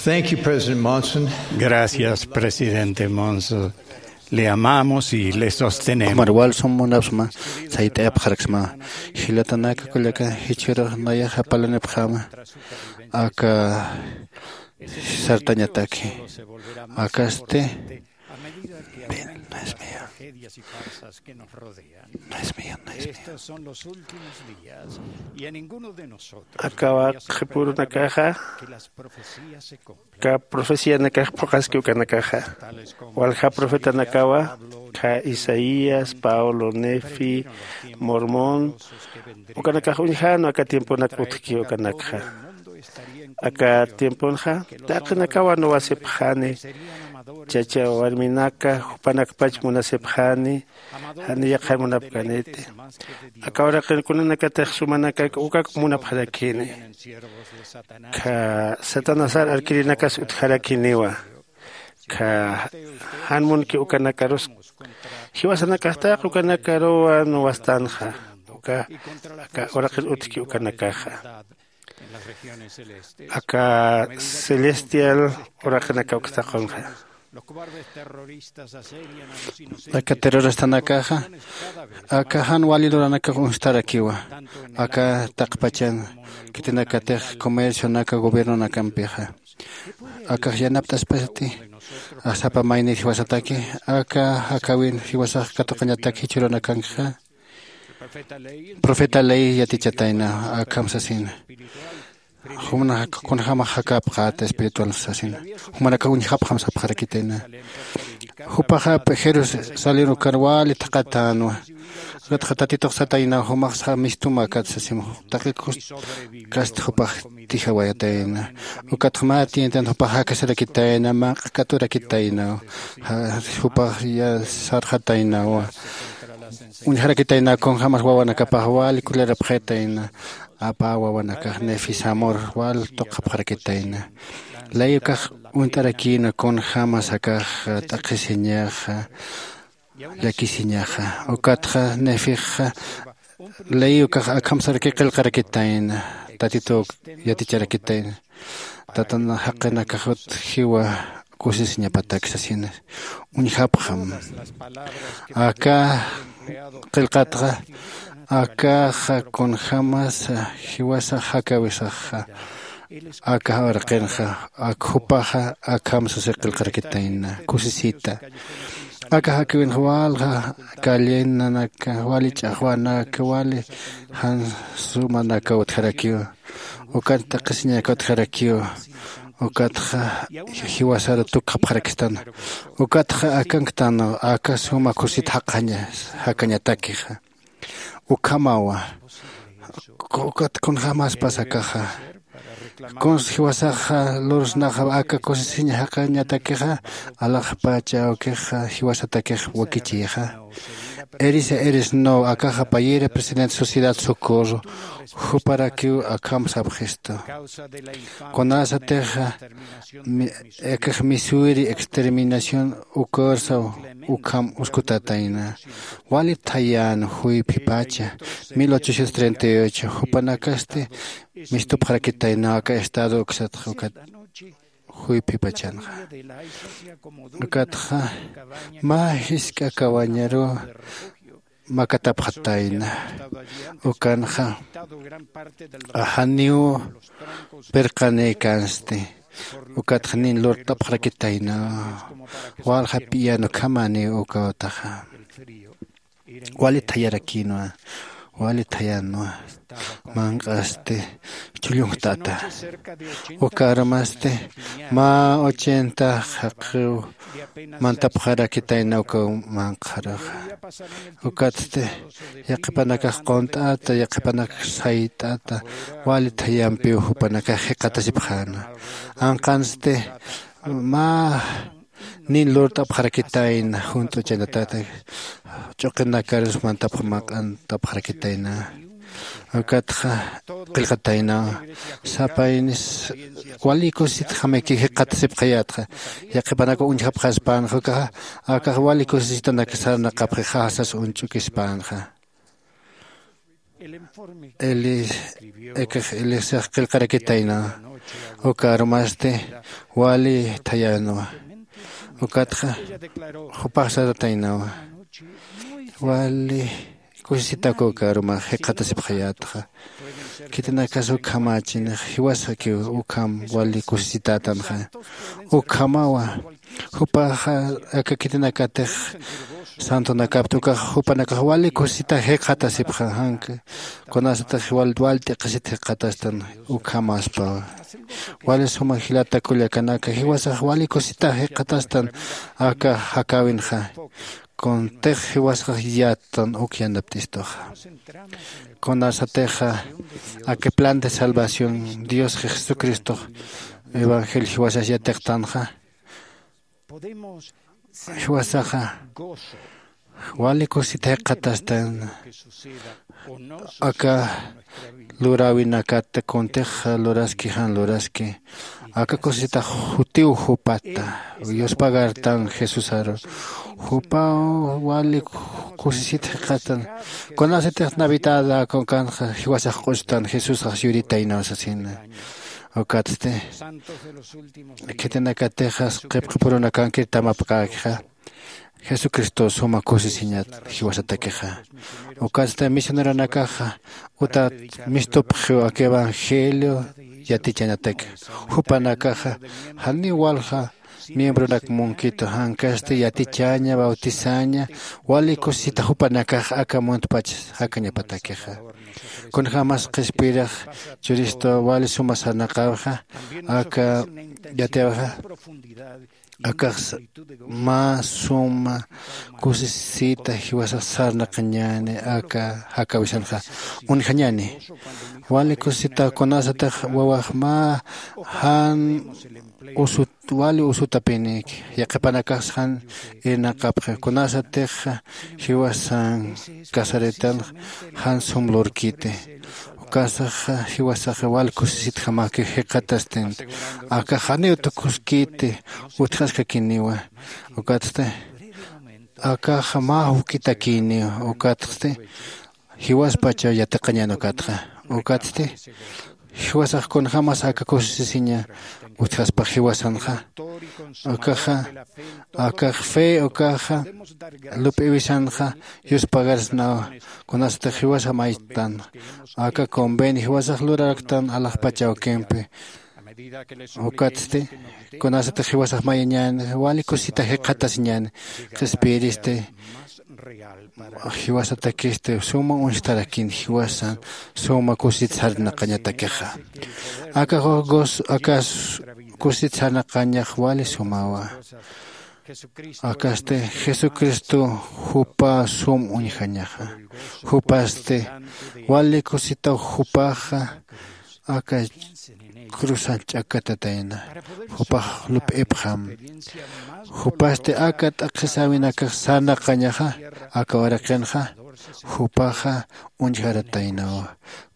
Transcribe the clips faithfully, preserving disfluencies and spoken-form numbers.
Thank you, President Monson. Gracias, presidente Monson. Le amamos y le sostenemos. Jumarwal sum munapxsma, sayt'ayapxaraksma. Jilatanaka kullaka, jichhürux nayax japalanipxäma aka sartañataki. Akasti. No es mío. No es mío, no es mío. Akawa qhipürunakaxa aka profecianakax phuqhaski ukanakaxa. Walja profetanakawa, kha Isaías, Pablo, Nefi, Mormón, ukanakax uñjänwa aka tiemponak utjki ukanakxa. Aka tiemponxa taqinakawa nuwasipxani, chacha warminaka jupanakpach munasipxani, jani yaqha munapkaniti. Aka uraqin kunanakatix sumanakak ukak munapxarakini. Kha Satanasar arkirinakas utjarakiniwa. Kha jan munki ukanakarus jiwasanakax taq ukanakaruwa nuwastanxa. Uka aka uraqin utjki ukanakaxa. Aka celestial uraqinaka uksa taqunxa. Aka terroristanakaxa aka jan wali luranakax uñstarakiwa. Aka taqpachan khitinakatix comercionaka gobiernonakampixa. Akax yanapt'aspasti sapa maynir jiwasataki, aka jakawin jiwasax katuqañataki jichhürunakankxa. Profeta ley yatichatayna akham sasina. Jumanaka kunjämax jakapxäta espiritual sasina. Jumanaka uñjapxam sapxarakitayna. Jupaxa Jerusalén ukar wali thaqhatänwa. Ukatxa Tatitux satayna, jumax mistumäkat sasim. Taqi kust kast jupax tijawayatayna. Ukatxa mä tientan jupax jakasarakitayna, mä q'akaturakitayna. Jupax sarxataynawa. Uñjarakitayna kunjämas wawanakapax wali kulirapxitayna. Apa wawanakax Nefi Samor wal tuqapxarakitayna. Ley ukax uñt'arakïna kunjämas akax t'aqhisiñaxa, llakisiñaxa. Ukatxa Nefixa ley ukax akham saraki qillqarakitayna, Tatitu yaticharakitayna. Tatan jaqinakax utjiwa kusisiñapatak sasina. Uñjapxam. Aka qillqatxa akaxa kunjämas jiwasax jakawisaxa. Aka uraqinxa ak jupaxa akham sasi qillqarakitayna kusisita. Aka jakiwinxa walja callenanaka, wali ch'axwanaka, wali jan sumanaka utjarakiwa. Ukat t'aqhisiñaka utjarakiwa. Ukatxa jiwasar tukxapxarakistana. Ukatxa akanktan aka suma kusit jaqaña jakañatakixa. Ukhamawa. Ukat kunjämaspas akaxa. Kuns jiwasaxa lursnaxa aka kusisiñ jaqañatakixa, alaxpacha awkixa jiwasatakix wakichixa. Erisa eres no akaxa payïri presidente Sociedad Socorro, juparakiw akham sapxistu. Kunasatixa akax Missouri exterminación ukarsaw ukham uskutatayna. Wali thayän juyphipacha mil ochocientos treinta y ocho jupanakasti mistupxarakitayna aka estado uksatxa ukat juyphipachanxa. Ukatxa mä jisk'a kawañaru makatapxatayna. Ukanxa janiw pirqanïkansti. Ukatxa nin lurt'apxarakitayna. Walja p'iyan ukhamaniw ukawtaxa. Wali thayarakïnwa. Wali thayänwa. Manq'asti chhullunjtata. Ukarmasti mä ochenta jaqiw mantapxarakitayna ukaw manq'xaraxa. Ukatsti yaqhipanakax qunt'ata, yaqhipanakax sayt'ata, wali thayampiw jupanakax jikxatasipxäna. Anqansti mä nin lurt'apxarakitayna junt'uchanatata, ch'uqinakarus mantapxarakitayna. Ukatxa qillqatayna. Sapaynis wali kusisitjamiki jikxatasipxayätxa. Yaqhipanaka uñjapxaspänxa ukaxa, akax wali kusisitanak sarnaqapxixa sas uñch'ukispänxa. Eli ekax elisax qillqarakitayna. Uka arumasti wali thayänwa. Ukatxa jupax sarataynawa. Wali kusisitakukaruma jikxatasipxayätxa. Khitinakas ukhamächinix jiwasakiw ukham wali kusisitätanxa. Ukhamawa jupaxa aka khitinakatix santonakapta ukax jupanakax wali kusisita jikxatasipxa janka. Kunasatix wal wal t'iqisit jikxatastan ukhamaspawa. Wali suma jilata kullakanaka jiwasax wali kusisita jikxatastan aka jakäwinxa. Kuntix jiwasax yattan uk yanapt'istuxa. Kunasatixa aka plan de salvación diosxa jesucristox evangelio jiwasas yatiqtanxa. Jiwasaxa wali kusita jikxatastan aka luräwinakat kuntix luraski jan luraski. Aka kusisitax jutiw jupata yuspagartan jesusaru. Jupaw wali kusisit jikxatan. Kunasitix navidad akunkanxa jiwasax q'ustan jesusax yuritaynaw sasina. Ukatsti khitinakatixas qhipqipurunakankir tamapkäkixa. Jesucristo suma kusisiñat jiwasatakixa. Ukatsti misioneronakaxa utat mistupxiw aka evangelio yatichañatak. Jupanakaxa janiw walja miembronak munkitu jankasti yatichaña bautizaña wali kusisita jupanakax aka muntpach jakañapatakixa. Kunjämas qhispiyirix churistu wali suma sarnaqäwixa aka yatiyawixa. Akax mä suma kusisita jiwasax sarnaqañäni aka jakäwisanxa uñjañäni. Wali kusisita kunasatix wawax mä jan usut wali usutapinïki yaqhipanakax jan irnaqapxi kunasatix jiwasan casaritanx jan sum lurkiti. Ukasaxa jiwasaxa wal kusisitjamäki jikxatastinti. Akax janiw tukuskiti utjaskakiniwa. Ukatsti akaxa mä juk'itakïniwa. Ukatsti jiwaspachaw yatiqañän ukatxa. Ukatsti jiwasax kunjämas aka kusisisiña utjaspax jiwasanxa. Akaxa akax fe ukaxa lup'iwisanxa yuspagarsnawa. Kunasatix jiwasa maytan aka convenio jiwasax luraraktan alaxpach awkimpi. Ukatsti kunasatix jiwasax mayañäni wali kusisita jikxatasiñäni. Qhispiyiristi jiwasatakisti suma uñstarakin jiwasan suma kusisit sarnaqañatakixa. Aka aka kusisit sarnaqañax wali sumawa. Akasti jesucristo jupa sum uñjañaxa. Jupasti wali kusitaw jupaxa aka cruzan ch'akatatayna. Jupax lup'ipxam. Jupasti aka t'aqhisäwinakax sarnaqañaxa aka uraqinxa jupaxa uñjarataynawa.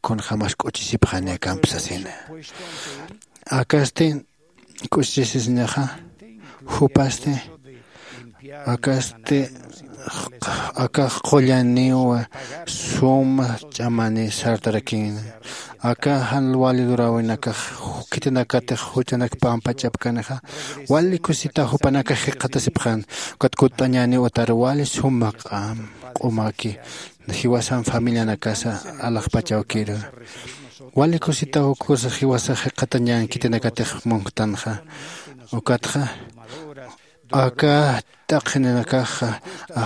Kunjämas k'uchisipxani akampi sasina. Akasti k'uchisisñaxa jupasti akasti akax qullaniw suma ch'amani sartarakïna. Aka jan wali luräwinakax khitinakatix juchanak pampa ch'apkanixa wali kusisita jupanakax jikxatasipxän. Ukat kutt'añäniw utar wali suma q'am q'umaki jiwasan familianakasa alaxpach awkiru. Wali kusisitaw ukküsa jiwasax jikxatañän khitinakatix munktanxa. Ukatxa aka t'aqhininakaxa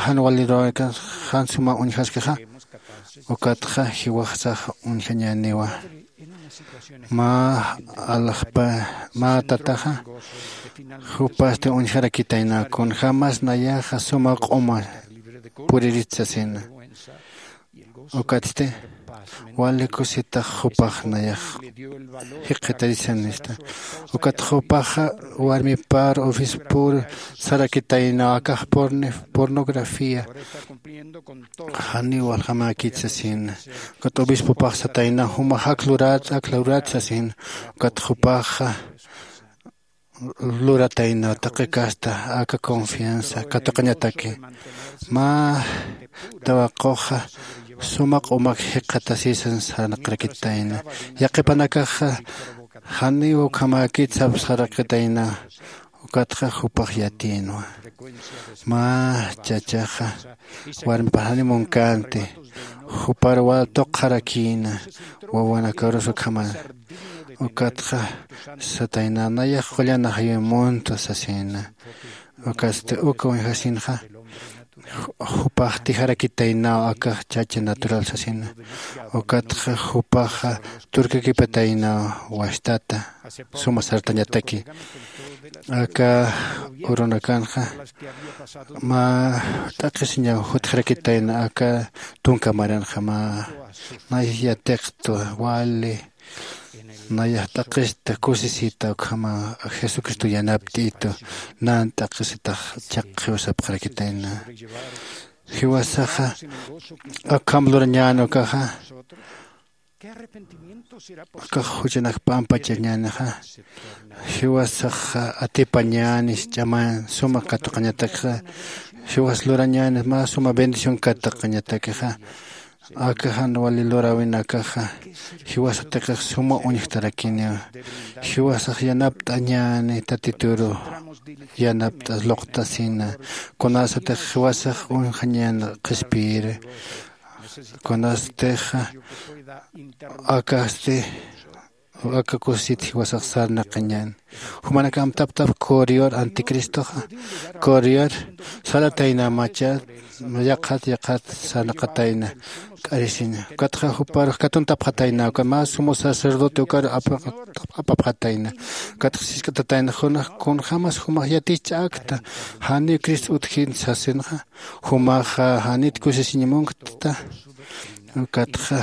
jan wali luräwinakax jan suma uñjaskixa. Ukatxa jiwasax uñjañäniwa. Mä alaxpa mä tataxa jupasti uñjarakitayna kunjämas nayaxa suma q'uma puririt sasina. Ukatsti wali kusitax jupax nayax jikxatarisanista. Ukat jupaxa warmipar obispor sarakitayna akax pornografía janiw waljamäkit sasina. Ukat obispopax satayna jumax ak lurat ak lurat sasina. Ukat jupaxa lurataynaw taqi kasta aka confianza katuqañataki. Mä tawaquxa suma q'umak jikxatasisan sarnaqarakitayna. Yaqhipanakaxa Janiw ukhamäkit sapsxarakitayna. Ukatxa jupax yatïnwa. Mä chachaxa warmipax jani munkänti. Jupar wal tuqxarakïna wawanakarus ukhaman. Ukatxa satayna nayax qullan ajayuy muntwa sasïna. Ukatsti uka uñjasinxa jupax tijarakitaynaw aka chacha natural sasina. Ukatxa jupaxa turkakipataynaw wastata suma sartañataki. Aka urunakanxa mä t'aqhisiñaw jutjarakitayna aka tunka maranxa mä nayax yatiqtwa wali nayax t'aqhista kusisita ukhama jesucristo yanapt'itu nan t'aqhisitax chaqqiw sapxarakitayna. Jiwasaxa akham lurañän ukaxa akax juchanak p'ampachañänixa. Jiwasaxa atipañänis ch'aman suma katuqañatakixa. Jiwas lurañänis mä suma bendición katuqañatakixa. Aka jan wali luräwinakaxa jiwasatix suma uñjtarakiniw. Jiwasax yanapt'añäni tatituru yanapt'as luqtasina. Kunasatix jiwasax uñjañän qhispiyiri kunastix akasti aka kusisit jiwasax sarnaqañän. Jumanakam taptap korior anticristoxa korior salatayna macha yaqhat yaqhat sarnaqatayna. K'arisiña ukatxa juparux katuntapxatayna uka mä sumo sacerdote ukar apapxatayna. Ukatxa sisk'atatayna junax kunjämas jumax yatich'äkta janiw cristo utjin sasinxa jumaxa janit kusisiñ munktata. Ukatxa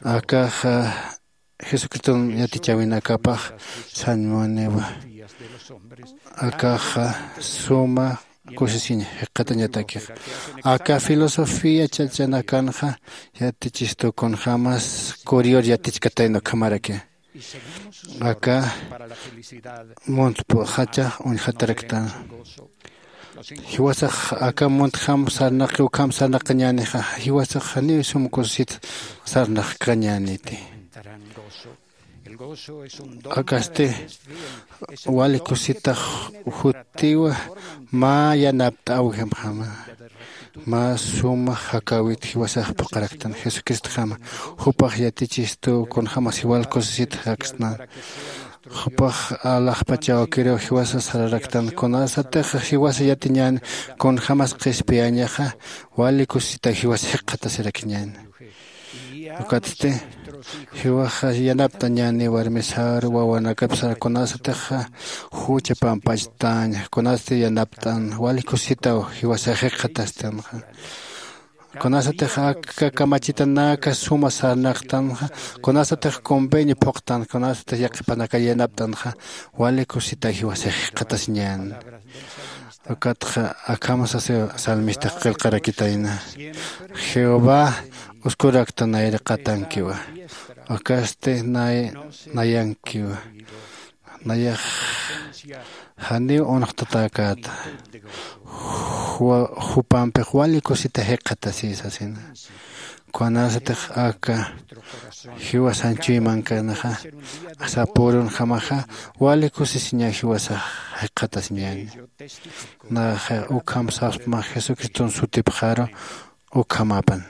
akaxa jesucriston yatichäwinakapax sañmuniwa. Akaxa suma kusisiñ jikxatañatakixa. Aka filosofía chachanakanxa yatichistu kunjämas korior yatichkatayna ukhamaraki. Aka muntp'uxachax uñjataraktan. Jiwasax aka muntjam sarnaqi ukham sarnaqañänixa jiwasax janiw sum kusisit sarnaqkañäniti. Akasti wali kusitax jutiwa mä yanapt'äwjamjama. Mä suma jakäwit jiwasax phuqharaktan jesucristjama. Jupax yatichistu kunjämas jiwal kusisit jaksnan. Jupax alaxpachaw kiriw jiwasa sararaktan kunasatix jiwasa yatiñän kunjämas qhispiyañaxa wali kusisitaw jiwasa jikxatasirakiñän. Ukatsti jiwaxa yanapt'añäni warmisar wawanakapsar kunasatixa jucha pampachtañ kunasti yanapt'an wali kusisitaw jiwasa jikxatastanxa. Kunasatix aka kamachitanaka suma sarnaqtanxa kunasatix convenio phuqtan kunasatix yaqhipanaka yanapt'anxa wali kusisitaw jiwasa jikxatasiñän. Ukatxa akham sasiw salmistax qillqarakitayna. Jehová uskurakta nayraqatankiwa. Ukasti nay nayankiwa. Nayax janiw unxtatäkäta. Jupampix wali kusita jikxatasi sasina. Kunasatix aka jiwasan chuymankanaxa sapürunjamaxa wali kusisiñaw jiwasax jikxatasiñäni. Naxa ukham sapsma jesucriston sutipxaru. Ukhamapan.